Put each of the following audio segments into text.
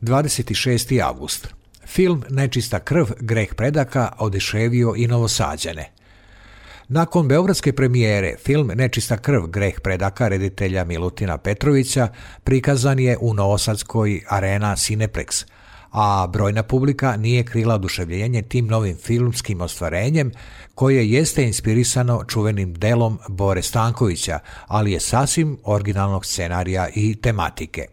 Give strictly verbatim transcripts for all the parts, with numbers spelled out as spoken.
dvadeset šesti avgust. Film Nečista krv, greh predaka oduševio i Novosađane. Nakon beogradske premijere, film Nečista krv, greh predaka reditelja Milutina Petrovića prikazan je u novosadskoj Arena Cineplex, a brojna publika nije krila oduševljenje tim novim filmskim ostvarenjem koje jeste inspirisano čuvenim delom Bore Stankovića, ali je sasvim originalnog scenarija i tematike.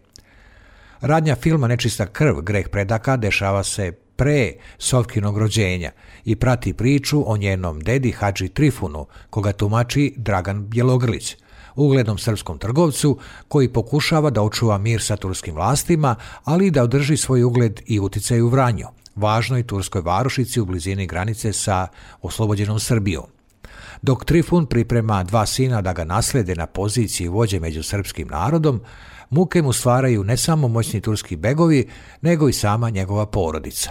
Radnja filma Nečista krv, greh predaka dešava se pre Sofkinog rođenja i prati priču o njenom dedi Hadži Trifunu, koga tumači Dragan Bjelogrlić, uglednom srpskom trgovcu koji pokušava da očuva mir sa turskim vlastima, ali i da održi svoj ugled i uticaj u Vranju, važnoj turskoj varošici u blizini granice sa oslobođenom Srbijom. Dok Trifun priprema dva sina da ga naslede na poziciji vođe među srpskim narodom, muke mu stvaraju ne samo moćni turski begovi, nego i sama njegova porodica.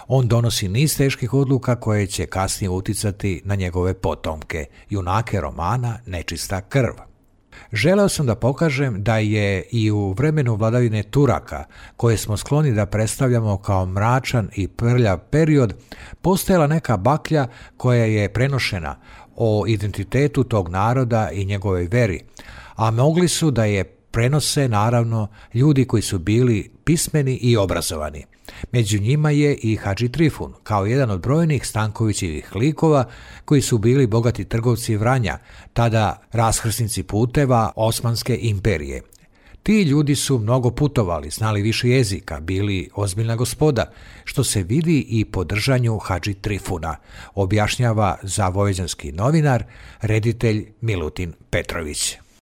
On donosi niz teških odluka koje će kasnije uticati na njegove potomke, junake romana Nečista krv. Želeo sam da pokažem da je i u vremenu vladavine Turaka, koje smo skloni da predstavljamo kao mračan i prljav period, postojala neka baklja koja je prenošena o identitetu tog naroda i njegovoj veri, a mogli su da je prenose naravno ljudi koji su bili pismeni i obrazovani. Među njima je i Hadži Trifun, kao jedan od brojnih Stankovićevih likova koji su bili bogati trgovci Vranja, tada raskrsnici puteva Osmanske imperije. Ti ljudi su mnogo putovali, znali više jezika, bili ozbiljna gospoda, što se vidi i po držanju Hadži Trifuna, objašnjava za vojvođanski novinar, reditelj Milutin Petrović.